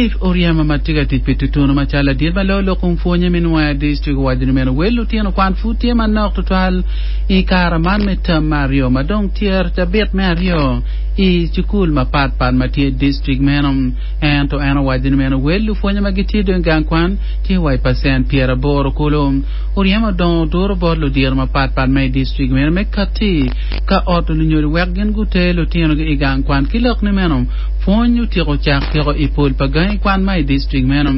Philip Oryema ma tye ka tic pi tutunu macalo ladit ma loyo lok kom pwonye me Nwoya District owaco ni meno wel lutino kwan pud tye manok tutwal i kare man me term me aryo ma dong tyer cabit me aryo i cukul mapat pat ma tye i district meno. Ento en owaco ni meno wel lupwonye ma gitye dong i gang kwan tye wa i pacent 80 kulu. Oryema odongo oduro bot ludiro mapat pat ma i district meno me katti ka oto lunyodo wek gin guter lutinogi i gang kwan ki lok ni meno Pwony otyeko cak tyeko i pol pa gangi kwan ma i distrik meno.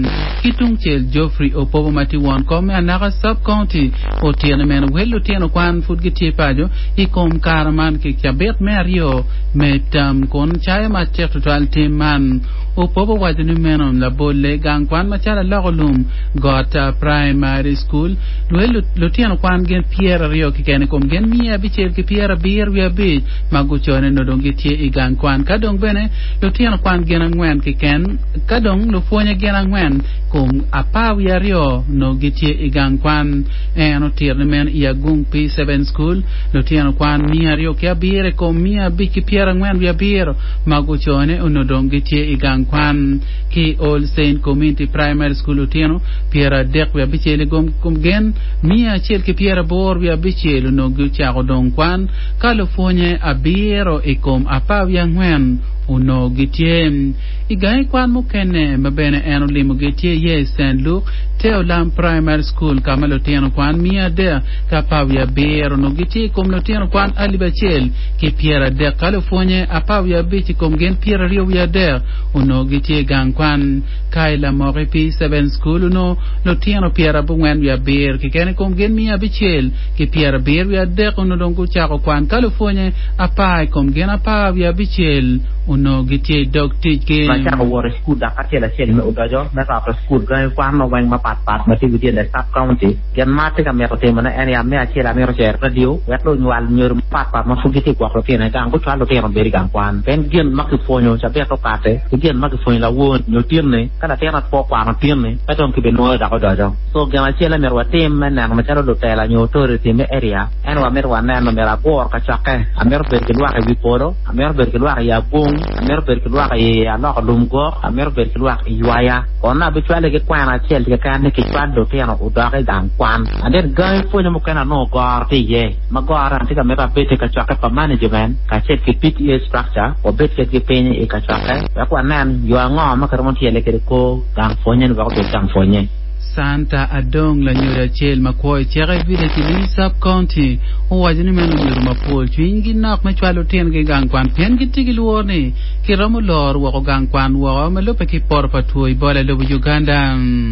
Ki tungcel, Geoffrey Opobo ma tye won kom me Anaka Sub-County otito ni meno wel lutino kwan pud gitye paco i kom kare man ki cabit me aryo me term kun cayo matek tutwal tim man. Opobo owaco ni meno labolle gang kwan macalo Aloko Lum Got Primary School wel lutino kwan gin 20 keken i kom gin 575 ma gucone nongo dong gitye i gang kwan, ka dong bene lutino kwan gin angwen keken, ka dong lupwonye gin angwen kom 12 nongo gitye i gang kwan. En otito ni meno i Agung P7 School, lutino kwan 207 i kom 547 ma gucone onongo dong gitye i gang kwan. Ki i All Saint Community Primary School lutino 36 i kom gin 186 onongo gucako dong kwan Ka lupwonye abiro i kom 14 onongo gitye i gangi kwan mukene ma bene en olimogi tye iye i Saint Luke Teolam Primary School ka ma lutino kwan 317 onongo gitye i kom lutino kwan 1,030 ka lupwonye 15 i kom gin 23 onongo gitye i gang kwan. Ka i Lamoki P7 School onongo lutino 97 keken i kom gin 600 ki 73 onongo dong gucako kwan ka lupwonye apar i kom gin 16 onongo gitye i dog ticgi. Ma acako wot i cukul dok acel acel me odoco me roto cukul gangi kwan ma weng mapat pat ma tye within the sub county. Gin ma atye ka mito timo ne en ya me acel amito cero radio wek lunywal nyodo mapat pat ma pud gitye gwoko lutino i gang gucwal lutino obed i gang kwan pien gin ma kipwonyo cabit okate ki gin ma kipwonyo lawor nyo tinni ka latin pe okwano tinni pe dong kibinwoyo dok odoco. So gin acel ma myero watim me neno macalo lutela nyo authority me area en wa mito waneno myero agur kacokke, amito bedo ki lwak i wi polo, amito bedo ki lwak i abong, amito bedo ki lwak i aloko lum gok, amito bedo ki lwak i ywaya. Kono abicwale ki kwena acel keken ni kicwal lutino odok i gang kwan. And then gangi pwonyo mukene anongo goro tye iye ma gorone atye ka mito abed i kacokke pa management kacel ki PTA structure wabed kedgi piny i kacokke wek wanen yo ango ma kiromo tyele kwede kor gang pwonye ni wek obed gang pwonye. Santa Adong, lanyodo acel ma kwo i Ceke Village i Lwii Sub-County, owaco ni meno lunyodo mapol cwinygi nok me cwalo lutinogi i gang kwan pien gitye ki lworo ni kiromo loro woko gang kwan woko ma lubbe ki poto pa two Ebola i lobo Uganda.